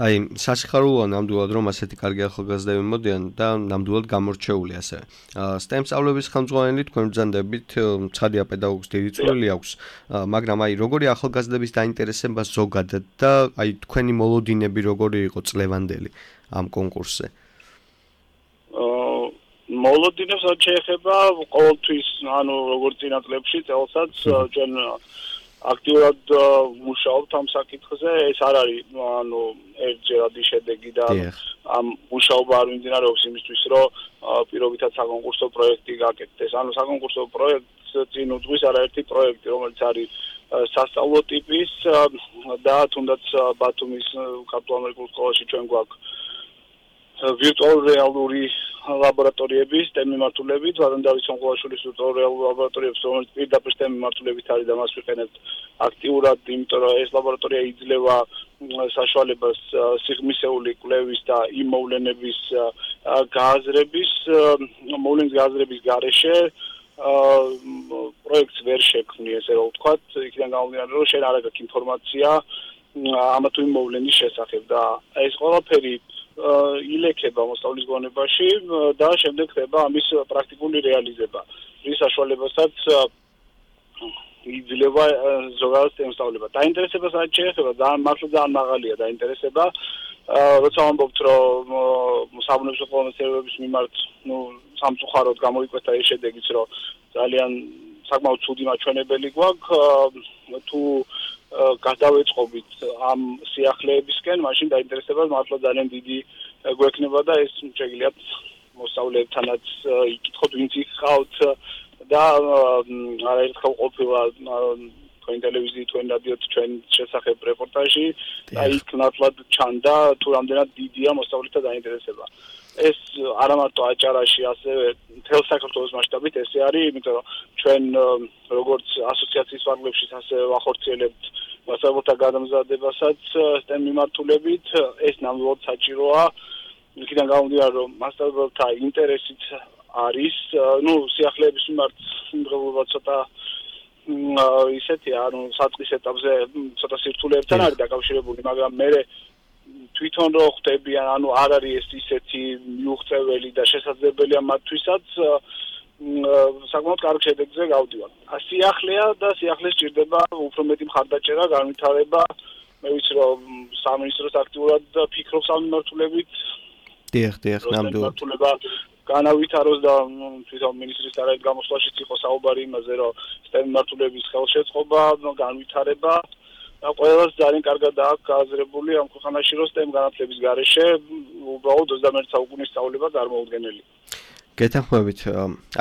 S2: აი სასიხარულოა ნამდვილად რომ ასეთი კარგი ახალგაზრდები მოდიან და ნამდვილად გამორჩეული ასევე. STEM სწავლების ხელმძღვანელი თქვენ ბრძანდებით ცხადია პედაგოგს დიდი წვლილი აქვს, მაგრამ აი როგორი ახალგაზრდების დაინტერესება ზოგადად და აი თქვენი მოლოდინები როგორი იყო წლევანდელი ამ კონკურსზე?
S6: მოლოდინებს რაც შეეხება ყოველთვის, ანუ როგორც წინა წლებში წელსაც ჩვენ აქტიურად მუშაობთ ამ საკითხზე, ეს არ არის ანუ ერთჯერადი შედეგი და ამ მუშაობა არ მიმდინარეობს იმისთვის, რომ პირობითად საკონკურსო პროექტი გაკეთდეს. ანუ საკონკურსო პროექტს წინ უძღვის არაერთი პროექტი, რომელიც არის სასწავლო ტიპის და თუნდაც ბათუმის ქართულ ამერიკულ სკოლაში ჩვენ გვაქვს ვირტუალური რეალური ლაბორატორიების STEM მიმართულებით, ვადან დავით სონყოლაშვილის ვირტუალური რეალური ლაბორატორიებს, რომელიც პირდაპირ STEM მიმართულებით არის და მას ვიყენებთ აქტიურად, იმიტომ რომ ეს ლაბორატორია იძლევა საშუალებას სიღრმისეული კვლევის და იმ მოვლენების გააზრების, მოვლენის გააზრების გარეშე პროექტს ვერ შექმნი, ესე რომ ვთქვათ, იქიდან გამომდინარე, რომ შენ არ აქვს ინფორმაცია ამა თუ იმ მოვლენის შესახებ და ეს ყველაფერი ილექება მოსწავლის გონებაში და შემდეგ ხდება ამის პრაქტიკული რეალიზება. რის საშუალებასაც იძლევა ზოგადად STEM სწავლება. დაინტერესებას რაც შეეხება, ძალიან მართლა ძალიან მაღალია დაინტერესება. როცა ვამბობთ, რომ საბუნებისმეტყველო მეცნიერებების მიმართ, ნუ სამწუხაროდ გამოიკვეთა ეს შედეგიც, რომ ძალიან საკმაოდ ცუდი მაჩვენებელი გვაქვს, თუ გადავეწყობით ამ სიახლეებისკენ, მაშინ დაინტერესება მართლა ძალიან დიდი გვექნება და ეს შეგიძლიათ მოსწავლეებთანაც იკითხოთ, ვინც იყავთ და არაერთხელ ყოფილა თქვენ ტელევიზიით, თქვენ რადიოთ ჩვენ შესახებ რეპორტაჟი და იქ ნათლად ჩანდა თუ რამდენად დიდია მოსწავლეთა დაინტერესება. ეს არა მარტო აჭარაში, ასევე მთელ საქართველოს მასშტაბით ესე არის, იმიტომ რომ ჩვენ როგორც ასოციაციის ფარგლებშიც ასევე ვახორციელებთ მასწავლებელთა გადამზადებასაც STEM მიმართულებით, ეს ნამდვილად საჭიროა. იქიდან გამომდინარე, რომ მასწავლებელთა ინტერესიც არის, ნუ სიახლეების მიმართ სიმღერობა ცოტა ისეთია, ანუ საწყის ეტაპზე ცოტა სირთულეებთან არის დაკავშირებული, მაგრამ მე თვითონ რო ხდებიან, ანუ არ არის ეს ისეთი მიუღწეველი და შესაძლებელია მათთვისაც საკმაოდ კარგ შედეგზე გავდივართ. სიახლეა და სიახლეს ჭირდება უფრო მეტი მხარდაჭერა, განვითარება. მე ვიცი რომ სამინისტროს აქტიურად ფიქრობს ამ მიმართულებით.
S2: დიახ, დიახ, ნამდვილად.
S6: განავითაროს და თვითონ მინისტრის არაერთ გამოსვლაშიც იყო საუბარი იმაზე, რომ STEM მიმართულების ხელშეწყობა, განვითარება და ყველას ძალიან კარგად აქვს გააზრებული ამ ქვეყანაში, რომ STEM განათლების გარეშე უბრალოდ ოცდამეერთე საუკუნის სწავლება წარმოუდგენელი.
S2: გეთანხმებით.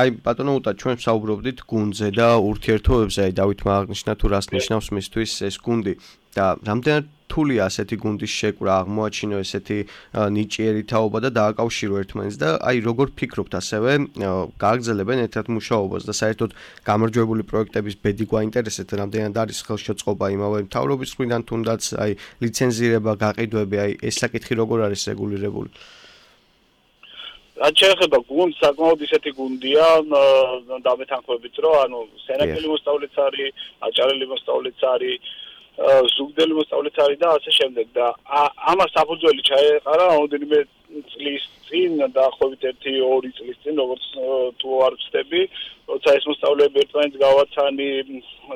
S2: აი ბატონო უტა, ჩვენ საუბრობდით გუნდზე და ურთიერთობებზე, აი დავითმა აღნიშნა თუ რას ნიშნავს მისთვის ეს გუნდი და რამდენად რთულია ასეთი გუნდის შეკვრა, აღმოაჩინო ესეთი ნიჭიერი თაობა და დააკავშირო ერთმანეთს და აი როგორ ფიქრობთ ასევე გააგრძელებენ ერთად მუშაობას და საერთოდ გამარჯვებული პროექტების ბედი გვაინტერესებს, რამდენად არის ხელშეწყობა იმავე მთავრობის მხრიდან თუნდაც აი ლიცენზირება, გაყიდვები, აი ეს საკითხი როგორ არის რეგულირებული?
S6: რაც შეეხება გუნდს, საკმაოდ ისეთი გუნდია დამეთანხმებით, რომ ანუ სენაკელი მოსწავლეც არის, აჭარელი მოსწავლეც არის, ზუგდელი მოსწავლეც არის და ასე შემდეგ და ამას საფუძველი ჩაეყარა ოდენიმე წლის წინ დაახლოებით ერთი ორი წლის წინ, როგორც თუ არ ვცდები, როცა ეს მოსწავლეები ერთმანეთს გავაცანი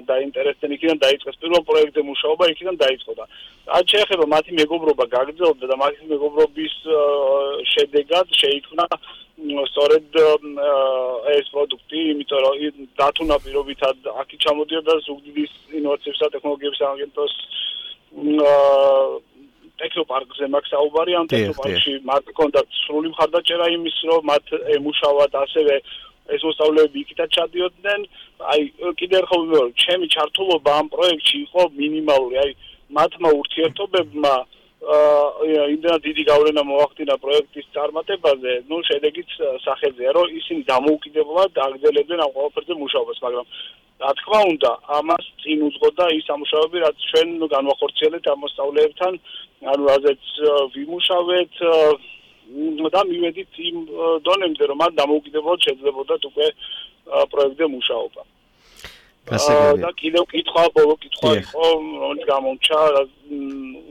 S6: დაინტერესდნენ, იქიდან დაიწყეს პირველ პროექტზე მუშაობა, იქიდან დაიწყო და რაც შეეხება მათი მეგობრობა გაგრძელდა და მათი მეგობრობის შედეგად შეიქმნა სწორედ ეს პროდუქტი, იმიტომ რომ დათუნა პირობითად აქ ჩამოდიოდა ზუგდიდის ინოვაციებისა და ტექნოლოგიების აგენტოს ტექნოპარკზე მაქვს საუბარი, ამ ტექნოპარკში მათ ჰქონდათ სრული მხარდაჭერა იმის, რომ მათ ემუშავათ ასევე ეს მოსწავლეები იქითაც ჩადიოდნენ. აი კიდევ ერთხელ ვიმეორებ, ჩემი ჩართულობა ამ პროექტში იყო მინიმალური, აი მათმა ურთიერთობებმა იმდენად დიდი გავლენა მოახდინა პროექტის წარმატებაზე, ну შედეგიც სახელზეა, რომ ისინი დამოუკიდებლად აგრძელებდნენ ამ ყველაფერზე მუშაობას, მაგრამ რა თქმა უნდა, ამას წინ უძღოდა ის სამუშაოები, რაც ჩვენ განვახორციელებთ ამ მოსწავლეებთან, ანუ რაზეც ვიმუშავეთ და მივედით იმ დონემდე, რომ მათ დამოუკიდებლად შეძლებოდათ უკვე პროექტზე მუშაობა. და კიდევ კითხვა, ბოლო კითხვა იყო, რომელიც გამომჩა,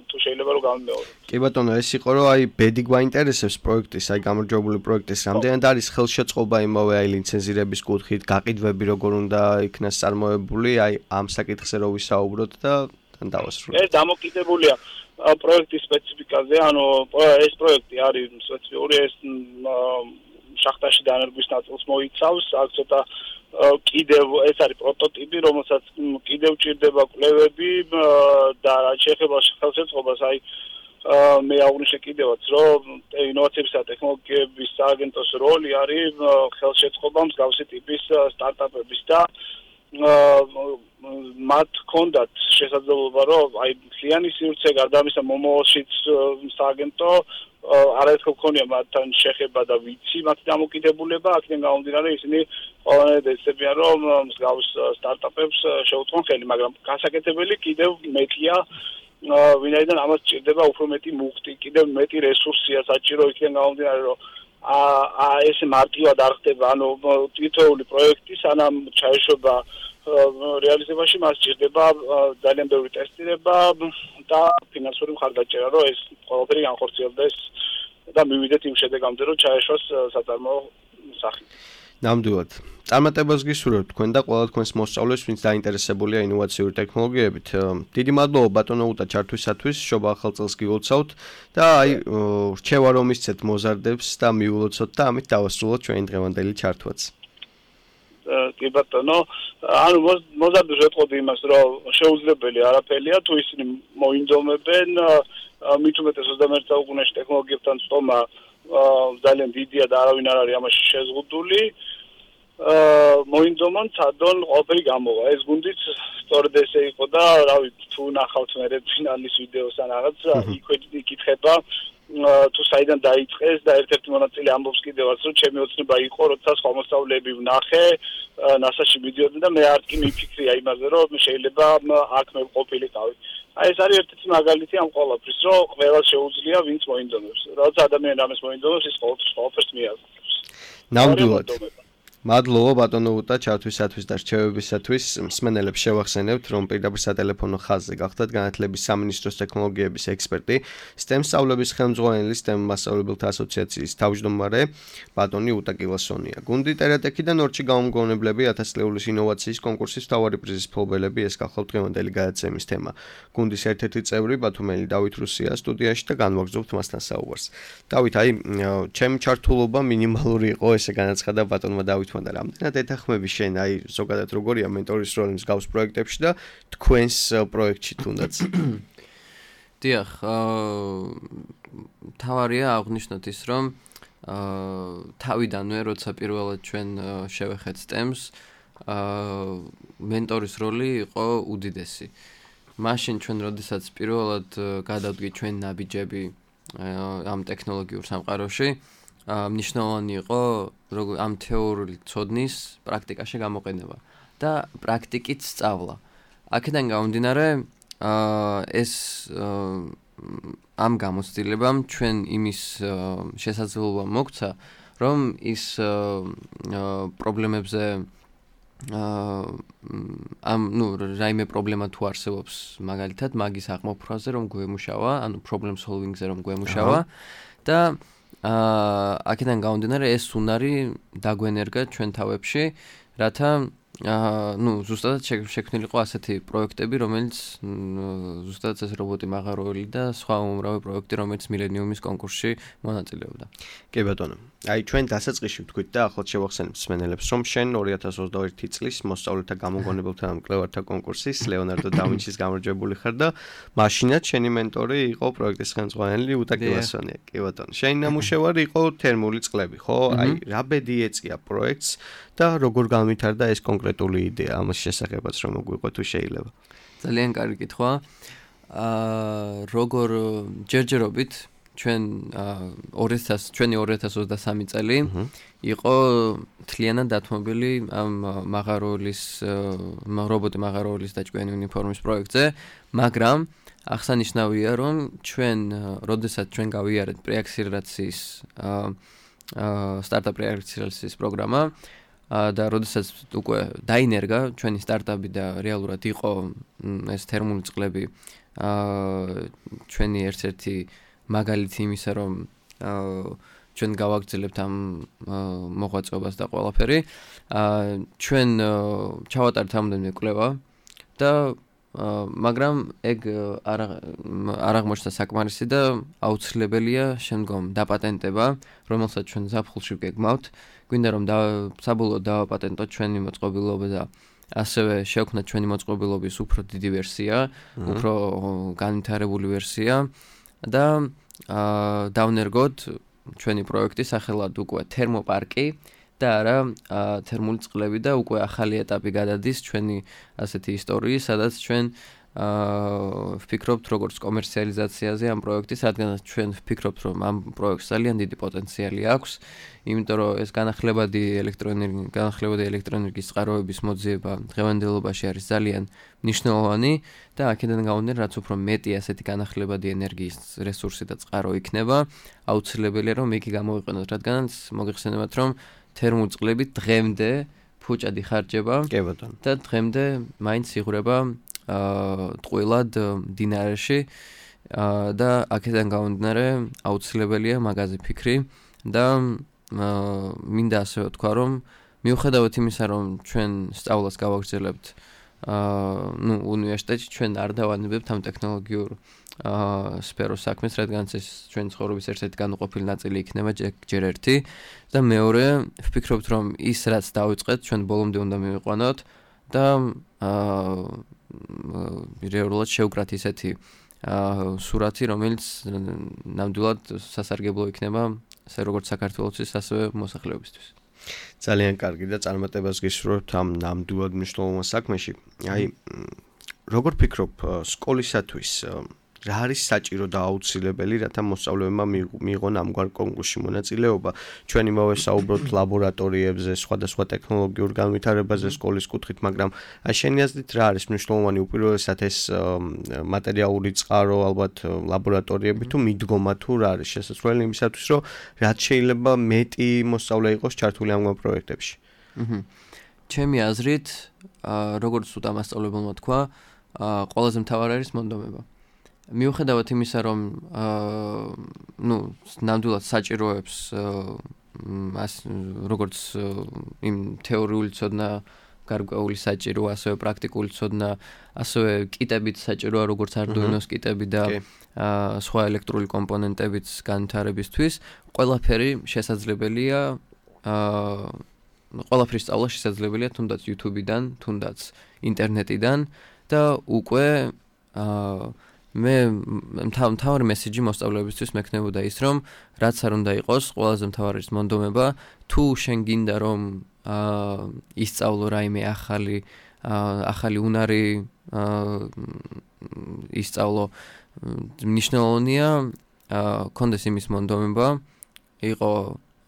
S6: თუ შეიძლება რომ გამიმეოროთ.
S2: კი ბატონო, ეს იყო რომ აი ბედი გვაინტერესებს პროექტის, აი გამარჯვებული პროექტის, რამდენად არის ხელშეწყობა იმავე აი ლიცენზირების კუთხით, გაყიდვები როგორ უნდა იქნას წარმოებული, აი ამ საკითხზე რო ვისაუბროთ და თან დავასრულოთ.
S6: ეს დამოკიდებულია პროექტის სპეციფიკაზე, ანუ ეს პროექტი არის სპეციფიკური, ეს შახტაში დანერგვის ნაწილს მოიცავს, აქ ცოტა კიდევ ეს არის პროტოტიპი, რომელსაც კიდევ ჭირდება კვლევები და რაც შეეხება ხელშეწყობას, აი მე აღვნიშნე კიდევაც, რომ ინოვაციებისა და ტექნოლოგიების სააგენტოს როლი არის ხელშეწყობა მსგავსი ტიპის სტარტაპების და მათ ჰქონდათ შესაძლებლობა, რომ აი მთლიანი სივრცე გარდა ამისა მომავალშიც სააგენტო არაერთხელ ქონია მათთან შეხება და ვიცი მათი დამოკიდებულება, აქედან გამომდინარე ისინი ყველანაირად ეცდებიან, რომ მსგავს სტარტაპებს შეუწყონ ხელი, მაგრამ გასაკეთებელი კიდევ მეტია, ვინაიდან ამას ჭირდება უფრო მეტი მუხტი, კიდევ მეტი რესურსია საჭირო, იქიდან გამომდინარე, რომ ეს მარტივად არ ხდება, ანუ თითოეული პროექტი სანამ ჩაეშვება რეალიზებაში, მას ჭირდება ძალიან ბევრი ტესტირება და ფინანსური მხარდაჭერა, რომ ეს ყველაფერი განხორციელდეს და მივიდეთ იმ შედეგამდე, რომ ჩაეშვას საწარმოო სახით.
S2: ნამდვილად. წარმატებას გისურვებთ თქვენ და ყველა თქვენს მოსწავლეს, ვინც დაინტერესებულია ინოვაციური ტექნოლოგიებით. დიდი მადლობა ბატონო უტა ჩართვისათვის, შობა ახალ წელს გილოცავთ და აი რჩევა რომ ისცეთ მოზარდებს და მიულოცოთ და ამით დავასრულოთ ჩვენი დღევანდელი ჩართვაც.
S6: კი ბატონო, ანუ მოზარდებს ვეტყოდი იმას, რომ შეუძლებელი არაფერია, თუ ისინი მოინდომებენ, მით უმეტეს ოცდამეერთე საუკუნეში ტექნოლოგიებთან წტომა ძალიან დიდია და არავინ არ არის ამაში შეზღუდული. მოინდომონ, ცადონ, ყველაფერი გამოვა. ეს გუნდიც სწორედ ესე იყო და რავი, თუ ნახავთ მე ფინალის ვიდეოს ან რაღაც, იქვე იკითხება თუ საიდან დაიწყეს და ერთ-ერთი მონაწილე ამბობს კიდევაც, რომ ჩემი ოცნება იყო, როცა სხვა მოსწავლეები ვნახე, ნასაში მიდიოდნენ და მე არ კი მიფიქრია იმაზე, რომ შეიძლება აქ მე ყოფილიყავი. აი ეს არის ერთ-ერთი მაგალითი ამ ყველაფრის, რომ ყველა შეუძლია, ვინც მოინდომებს. როცა ადამიანი ამას მოინდომებს, ის ყველაფერს მიაღწევს.
S2: ნამდვილად. მადლობა ბატონო უტა ჩართვისათვის და რჩევებისათვის. მსმენელებს შევახსენებთ, რომ პირდაპირ სატელეფონო ხაზზე გახდათ განათლების სამინისტროს ტექნოლოგიების ექსპერტი, STEM სწავლების ხელმძღვანელი STEM მასწავლებელთა ასოციაციის თავმჯდომარე ბატონი უტა კილასონია. გუნდი ტერატექი და ნორჩი გამომგონებლები ათას წლეულის ინოვაციის კონკურსის მთავარი პრიზის მფლობელები ეს გახლავთ დღევანდელი გადაცემის თემა. გუნდის ერთ-ერთი წევრი ბათუმელი დავით რუსია სტუდიაში და განვაგრძობთ მასთან საუბარს. დავით, აი ჩემი ჩართულობა მინიმალური იყო, ესე განაცხადა ბატონმა დავით და რამდენად ეთანხმები შენ აი ზოგადად როგორია მენტორის როლი მსგავს პროექტებში და თქვენს პროექტში თუნდაც.
S3: დიახ, თავარია აღვნიშნოთ ის, რომ თავიდანვე როცა პირველად ჩვენ შევეხეთ STEM-ს, მენტორის როლი იყო უდიდესი. მაშინ ჩვენ როდესაც პირველად გადავდგით ჩვენ ნაბიჯები ამ ტექნოლოგიურ სამყაროში, მნიშვნელოვანი იყო ამ თეორიული ცოდნის პრაქტიკაში გამოყენება და პრაქტიკით სწავლა. აქედან გამომდინარე, ეს ამ გამოცდილებამ ჩვენ იმის შესაძლებლობა მოგცა, რომ ის პრობლემებზე ამ ნუ რაიმე პრობლემა თუ არსებობს მაგალითად მაგის აღმოფხვრაზე რომ გვემუშავა, ანუ problem solving-ზე რომ გვემუშავა და აქედან გამომდინარე ეს უნარი დაგვენერგა ჩვენ თავებში, რათა აა ნუ ზუსტად შექმნილიყო ასეთი პროექტები, რომელიც ზუსტად ეს რობოტი მაღაროელი და სხვა უმრავი პროექტი, რომელიც მილენიუმის კონკურსში მონაწილეობდა.
S2: კი ბატონო. აი ჩვენ დასაწყისში ვთქვით და ახლა შევახსენებ მსმენელებს, რომ შენ ორი ათას ოცდაერთი წლის მოსწავლეთა გამოგონებელთა მკვლევართა კონკურსის ლეონარდო და ვინჩის გამარჯვებული ხარ და მაშინაც შენი მენტორი იყო პროექტის ხელმძღვანელი უტა კილასონია. კი ბატონო. შენი ნამუშევარი იყო თერმული წყლები, ხო? აი რა ბედი ეწია პროექტს და როგორ განვითარდა ეს კონკრეტული იდეა ამის შესახებაც რომ მოგვიყვა თუ შეიძლება.
S3: ძალიან კარგი კითხვა. აა როგორ ჯერჯერობით ჩვენ ორი ათას ჩვენი ორი ათას ოცდასამი წელი იყო თლიანად დათმობილი ამ მაღაროელის რობოტი მაღაროელის დაჭკვიანი უნიფორმის პროექტზე, მაგრამ აღსანიშნავია რომ ჩვენ როდესაც ჩვენ გავიარეთ პრეაქსელერაციის აა სტარტაპ პრეაქსელერაციის პროგრამა და როდესაც უკვე დაინერგა ჩვენი სტარტაპი და რეალურად იყო ეს თერმული წყლები აა ჩვენი ერთ-ერთი მაგალითი იმისა რომ ჩვენ გავაგრძელებთ ამ მოღვაწეობას და ყველაფერი აა ჩვენ ჩავატარეთ ამოდენმე კვლევა და მაგრამ ეგ არ არ აღმოჩნდა საკმარისი და აუცილებელია შემდგომ დაპატენტება, რომელსაც ჩვენ ზაფხულში ვგეგმავთ. გვინდა რომ საბოლოოდ დავაპატენტოთ ჩვენი მოწყობილობა და ასევე შევქმნათ ჩვენი მოწყობილობის უფრო დიდი ვერსია, უფრო განვითარებული ვერსია და დავნერგოთ ჩვენი პროექტი სახელად უკვე თერმოპარკი და არა თერმული წყლები და უკვე ახალი ეტაპი გადადის ჩვენი ასეთი ისტორიის, სადაც ჩვენ აა ვფიქრობთ როგორც კომერციალიზაციაზე ამ პროექტის, რადგანაც ჩვენ ვფიქრობთ რომ ამ პროექტს ძალიან დიდი პოტენციალი აქვს, იმიტომ რომ ეს განახლებადი ელექტროენერგიის განახლებადი ელექტროენერგიის წყაროების მოძიება დღევანდელობაში არის ძალიან მნიშვნელოვანი და აქედან გამომდინარე, რაც უფრო მეტი ასეთი განახლებადი ენერგიის რესურსი და წყარო იქნება, აუცილებელია რომ იგი გამოვიყენოთ, რადგანაც მოგეხსენებათ რომ თერმული წყლები დღემდე ფუჭად იხარჯება და დღემდე მაინც იღვრება აა ტყუილად მდინარეში და აქედან გამომდინარე აუცილებელია მაგაზე ფიქრი და მინდა ასე ვთქვა რომ მიუხედავად იმისა რომ ჩვენ სწავლას გავაგრძელებთ აა ნუ უნივერსიტეტში ჩვენ არ დავანებებთ ამ ტექნოლოგიურ აა სფეროს საქმეს, რადგანაც ეს ჩვენი ცხოვრების ერთ-ერთი განუყოფელი ნაწილი იქნება ჯერ ერთი და მეორე ვფიქრობთ რომ ის რაც დავიწყეთ ჩვენ ბოლომდე უნდა მივიყვანოთ და აა რეალურად შევკრათ ისეთი აა სურათი, რომელიც ნამდვილად სასარგებლო იქნება ასე როგორც საქართველოსთვის, ასევე მოსახლეობისთვის.
S2: ძალიან კარგი და წარმატებას გისურვებთ ამ ნამდვილად მნიშვნელოვან საქმეში. აი როგორ ფიქრობ სკოლისათვის რა არის საჭირო და აუცილებელი, რათა მოსწავლეებმა მიიღონ ამგვარ კონკურსში მონაწილეობა? ჩვენ იმავე საუბრობთ ლაბორატორიებზე, სხვადასხვა ტექნოლოგიურ განვითარებაზე სკოლის კუთხით, მაგრამ აი შენი აზრით რა არის მნიშვნელოვანი უპირველესად ეს მატერიალური წყარო, ალბათ ლაბორატორიები თუ მიდგომა თუ რა არის შესაძლებელი იმისათვის, რომ რაც შეიძლება მეტი მოსწავლე იყოს ჩართული ამგვარ პროექტებში?
S3: აჰა. ჩემი აზრით, როგორც უთამასწავლებელმა თქვა, ყველაზე მთავარი არის მონდომება. მიუხედავად იმისა, რომ აა ნუ ნამდვილად საჭიროებს აა როგორც იმ თეორიული ცოდნა გარკვეული საჭირო, ასევე პრაქტიკული ცოდნა, ასევე კიტებით საჭიროა როგორც Arduino-ს კიტები და აა სხვა ელექტრული კომპონენტებიც განვითარებისთვის, ყველაფერი შესაძლებელია აა ყველაფრის სწავლა შესაძლებელია თუნდაც YouTube-დან, თუნდაც ინტერნეტიდან და უკვე აა მე მთავარი მესიჯი მოსწავლეებისთვის მექნებოდა ის, რომ რაც არ უნდა იყოს, ყველაზე მთავარი ის მონდომება, თუ შენ გინდა რომ აა ისწავლო რაიმე ახალი ახალი უნარი აა ისწავლო, მნიშვნელოვანია აა კონდეს იმის მონდომება, იყო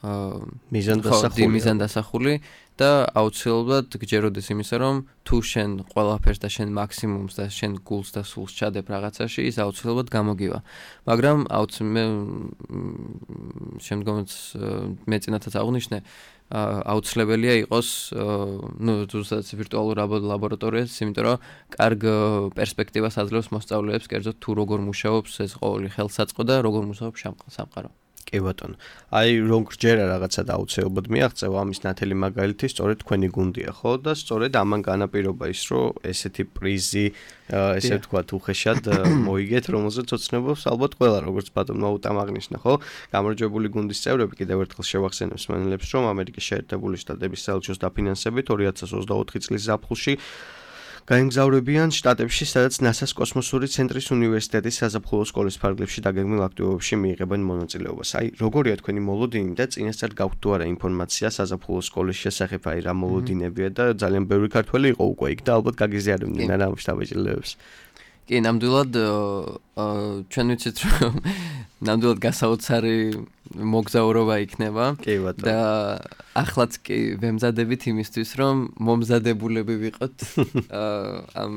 S2: მიზანდასახული
S3: მიზანდასახული და აუცილებლად გჯეროდეს იმისა, რომ თუ შენ ყველაფერს და შენ მაქსიმუმს და შენ გულს და სულს ჩადებ რაღაცაში, ის აუცილებლად გამოგივა. მაგრამ აუცილებლად შემდგომაც მე წინათაც აღვნიშნე, აუცილებელია იყოს, ну, ზუსტად ვირტუალურ ლაბორატორიას, იმიტომ რომ კარგ პერსპექტივას აძლევს მოსწავლეებს, კერძოდ თუ როგორ მუშაობს ეს ყოველი ხელსაწყო და როგორ მუშაობს სამყარო.
S2: კი ბატონო. აი რომ გჯერა რაღაცა და აუცილებლად მიაღწევა ამის ნათელი მაგალითი სწორედ თქვენი გუნდია, ხო? და სწორედ ამან განაპირობა ის, რომ ესეთი პრიზი, ესე ვთქვათ, უხეშად მოიგეთ, რომელზეც ოცნებობს ალბათ ყველა, როგორც ბატონმა უტამაღნიშნა, ხო? გამარჯვებული გუნდის წევრები კიდევ ერთხელ შევახსენებს მენელებს, რომ ამერიკის შეერთებული შტატების საელჩოს დაფინანსებით ორი ათას ოცდაოთხი წლის ზაფხულში გაემგზავრებიან შტატებში, სადაც ნასას კოსმოსური ცენტრის უნივერსიტეტის საზაფხულო სკოლის ფარგლებში დაგეგმილ აქტივობებში მიიღებენ მონაწილეობას. აი, როგორია თქვენი მოლოდინი და წინასწარ გაქვთ თუ არა ინფორმაცია საზაფხულო სკოლის შესახებ, აი რა მოლოდინებია და ძალიან ბევრი ქართველი იყო უკვე იქ და ალბათ გაგიზიარებდნენ რა ამ შტაბეჭდილებებს.
S3: კი, ნამდვილად ჩვენ ვიცით, რომ ნამდვილად გასაოცარი მოგზაურობა იქნება და ახლაც კი ვემზადებით იმისთვის, რომ მომზადებულები ვიყოთ ამ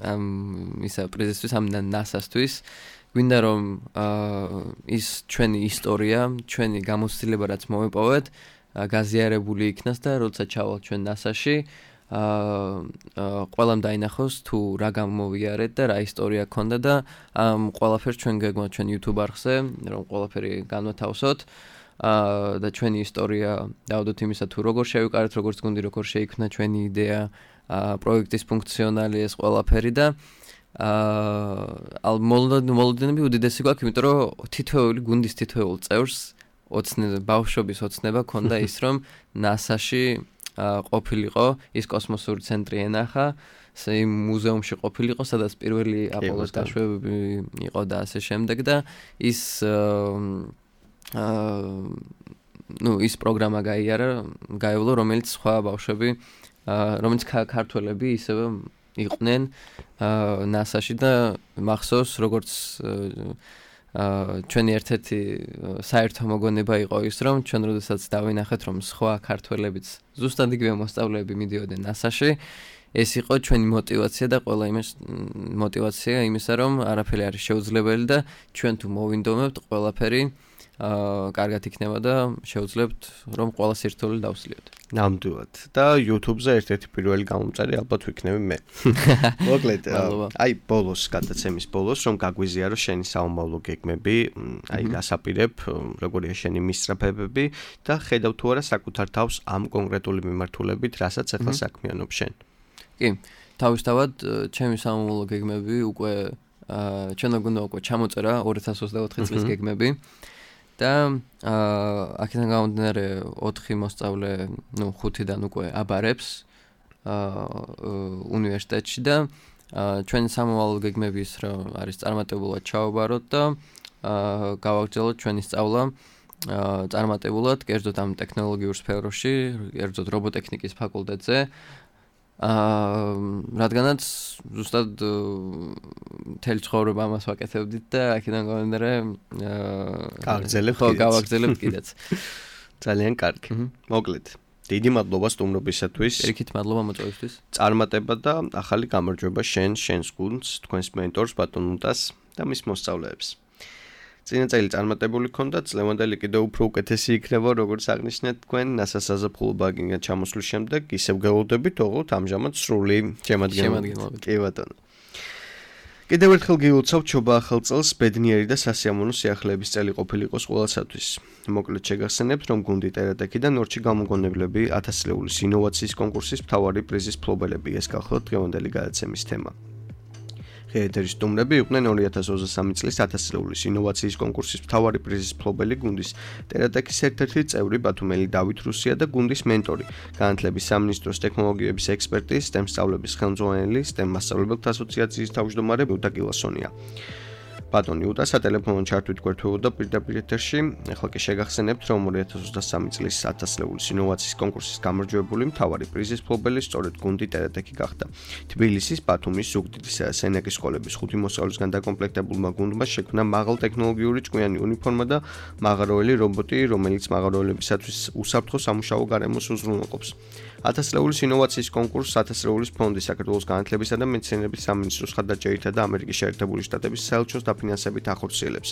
S3: ამ ისა პრეზენტაციის ამ ნასასთვის. გვინდა რომ ის ჩვენი ისტორია, ჩვენი გამოცდილება რაც მოვიპოვეთ, გაზიარებული იქნას და როცა ჩავალთ ჩვენ ნასაში, აა ყველამ დაინახოს თუ რა გამოვიარეთ და რა ისტორია ქონდა და ამ ყველაფერს ჩვენ გეგმავთ ჩვენ YouTube არხზე, რომ ყველაფერი განვათავსოთ აა და ჩვენი ისტორია დავდოთ იმისა თუ როგორ შევიკარეთ, როგორც გუნდი, როგორ შეიქმნა ჩვენი იდეა, აა პროექტის ფუნქციონალი ეს ყველაფერი და აა მოლოდინები უდიდესი გვაქვს, იმიტომ რომ თითოეული გუნდის თითოეულ წევრს ოცნება, ბავშვობის ოცნება ქონდა ის, რომ ნასაში ყოფილიყო, ის კოსმოსური ცენტრი ენახა, იმ მუზეუმში ყოფილიყო, სადაც პირველი აპოლოს დაშვებები იყო და ასე შემდეგ და ის აა ну, ის პროგრამა გაიარა, გაევლო, რომელიც სხვა ბავშვები, რომელიც ქართველები ისევ იყვნენ ნასაში და მახსოვს, როგორც ჩვენი ერთ-ერთი საერთო მოგონება იყო ის, რომ ჩვენ როდესაც დავინახეთ, რომ სხვა ქართველებიც ზუსტად იგივე მოსწავლეები მიდიოდნენ ნასაში, ეს იყო ჩვენი мотиваცია და ყველა იმის мотиваცია იმისა, რომ არაფერი არის შეუძლებელი და ჩვენ თუ მოვინდომებთ, ყველაფერი აა კარგად იქნება და შევძლებთ, რომ ყველა სირთულე დავსლიოთ.
S2: ნამდვილად. და YouTube-ზე ერთ-ერთი პირველი გამომწარი ალბათ ვიქნები მე. მოკლედ, აი ბოლოს, გადაცემის ბოლოს, რომ გაგვიზიარო შენი საომავლო გეგმები, აი გასაპირებ, როგორია შენი მისწრაფებები და ხედავ თუ არა საკუთარ თავს ამ კონკრეტული მიმართულებით, რასაც ახლა საქმიანობ შენ.
S3: კი, თავისთავად ჩემი საომავლო გეგმები უკვე აა ჩვენ გუნდა უკვე ჩამოწერა ორი ათას ოცდაოთხი წლის გეგმები. და აა აქედან გამომდინარე ოთხი მოსწავლე, ну, ხუთიდან უკვე აბარებს აა უნივერსიტეტში და ჩვენი სამოვალო გეგმები ის რომ არის წარმატებულად ჩავაბაროთ და აა გავაგრძელოთ ჩვენი სწავლა აა წარმატებულად, კერძოდ ამ ტექნოლოგიურ სფეროში, კერძოდ რობოტექნიკის ფაკულტეტზე. აა რადგანაც ზუსტად მთელი ცხოვრება ამას ვაკეთებდით და აქედან გამომდინარე აა
S2: გავაგრძელებთ
S3: ხო გავაგრძელებთ კიდეც.
S2: ძალიან კარგი. მოკლედ, დიდი მადლობა სტუმრობისათვის.
S3: ერიქით მადლობა მოწვევისთვის.
S2: წარმატება და ახალი გამარჯვება შენ, შენს გუნდს, თქვენს მენტორს ბატონ უტას და მის მოსწავლეებს. წინა წელი წარმატებული ქონდა, წლევანდელი კიდევ უფრო უკეთესი იქნება, როგორც აღნიშნეთ თქვენ, ნასას საზაფხულო ბაგინგად ჩამოსვლის შემდეგ, ისევ გელოდებით, ოღონდ ამჟამად სრული შემადგენლობით. კი ბატონო. კიდევ ერთხელ გილოცავთ ჩობა ახალ წელს, ბედნიერი და სასიამოვნო სიახლეების წელი ყოფილიყოს ყველასათვის. მოკლედ შეგახსენებთ, რომ გუნდი ტერატეკიდან ნორჩი გამოგონებლები ათას ლეულის ინოვაციის კონკურსის მთავარი პრიზის მფლობელები, ეს გახლავთ დღევანდელი გადაცემის თემა. ეთერის სტუმრები იყვნენ ორი ათას ოცდასამი წლის ათას ლეულის ინოვაციის კონკურსის მთავარი პრიზის მფლობელი გუნდის ტერატეკის ერთ-ერთი წევრი ბათუმელი დავით რუსია და გუნდის მენტორი, განათლების სამინისტროს ტექნოლოგიების ექსპერტი, STEM სწავლების ხელმძღვანელი, STEM მასწავლებელთა ასოციაციის თავმჯდომარე ბუდა კილასონია. ბატონი უტა სატელეფონო ჩართვით გვერდებოდა პირდაპირ ეთერში. ახლა კი შეგახსენებთ, რომ ორი ათას ოცდასამი წლის ათას ლეულის ინოვაციის კონკურსის გამარჯვებული მთავარი პრიზის მფლობელი სწორედ გუნდი ტერეტექი გახდა. თბილისის, ბათუმის, ზუგდიდის და სენაკის სკოლების ხუთი მოსწავლისგან დაკომპლექტებულმა გუნდმა შექმნა მაღალტექნოლოგიური ჭკვიანი უნიფორმა და მაღაროელი რობოტი, რომელიც მაღაროელებისათვის უსაფრთხო სამუშაო გარემოს უზრუნველყოფს. ათას ლეულის ინოვაციის კონკურსს ათას ლეულის ფონდი, საქართველოს განათლებისა და მეცნიერების სამინისტროს ხარდაჭერითა და ამერიკის შეერთებული შტატების საელჩოს დაფინანსებით ახორციელებს.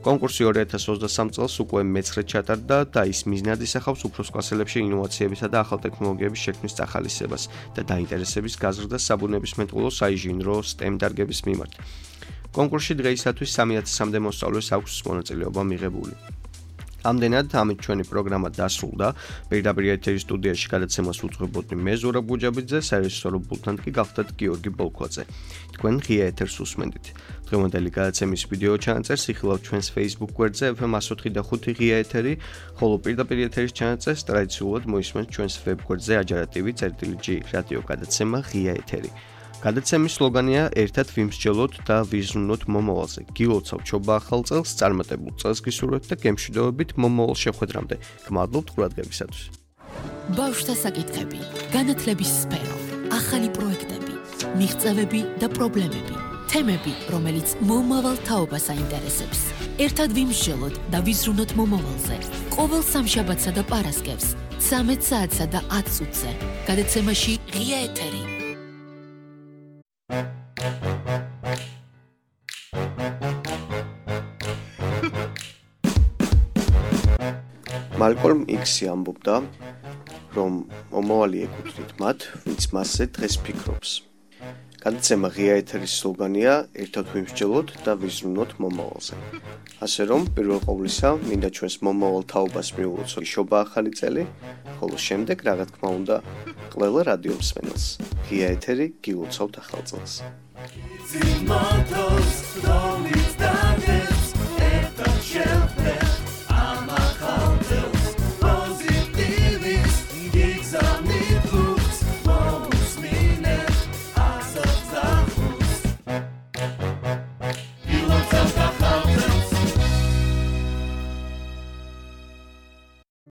S2: კონკურსი ორი ათას ოცდასამ წელს უკვე მეცხრედ ჩატარდა და ის მიზნად ისახავს უფროს კლასელებში ინოვაციებისა და ახალ ტექნოლოგიების შექმნის წახალისებას და დაინტერესების გაზრდას საბუნებისმეტყველო, საინჟინრო, STEM დარგების მიმართ. კონკურსში დღეისათვის სამი ათასამდე მოსწავლეს აქვს მონაწილეობა მიღებული. ამდენად ამით ჩვენი პროგრამა დასრულდა. პირდაპირ ეთერის სტუდიაში გადაცემას უძღვებოდი მე ზურაბ გუჯაბიძე, საერთაშორისო ბულთან კი გახდათ გიორგი ბოლქვაძე. თქვენ ღია ეთერს უსმენთ. დღევანდელი გადაცემის ვიდეო ჩანაწერს იხილავთ ჩვენს Facebook გვერდზე ეფ ემ εκατს ოთხი და ხუთი ღია ეთერი, ხოლო პირდაპირ ეთერის ჩანაწერს ტრადიციულად მოისმენთ ჩვენს ვებ გვერდზე აჯარატივი წერტილი რადიო გადაცემა ღია ეთერი. გადაცემის სლოგანია ერთად ვიმსჯელოთ და ვიზრუნოთ მომავალზე. გილოცავთ ჩობა ახალ წელს, წარმატებულ წელს გისურვებთ და გემშვიდობებით მომავალ შეხვედრამდე. გმადლობთ ყურადღებისათვის.
S1: ბავშვთა საკითხები, განათლების სფერო, ახალი პროექტები, მიღწევები და პრობლემები, თემები, რომელიც მომავალ თაობას აინტერესებს. ერთად ვიმსჯელოთ და ვიზრუნოთ მომავალზე. ყოველ სამშაბათსა და პარასკევს, ცამეტ საათსა და ათ წუთზე. გადაცემაში ღია ეთერი.
S2: მალკოლმ იქსი ამბობდა, რომ მომავალი ეკუთვნით მათ, ვინც მასზე დღეს ფიქრობს. გადაცემა ღია ეთერის სლოგანია ერთად ვიმსჯელოთ და ვიზრუნოთ მომავალზე. ასე რომ, პირველ ყოვლისა, მინდა ჩვენს მომავალ თაობას მიულოცოთ შობა ახალი წელი, ხოლო შემდეგ, რა თქმა უნდა, ყველა რადიო მსმენელს. ღია ეთერი გილოცავთ ახალ წელს.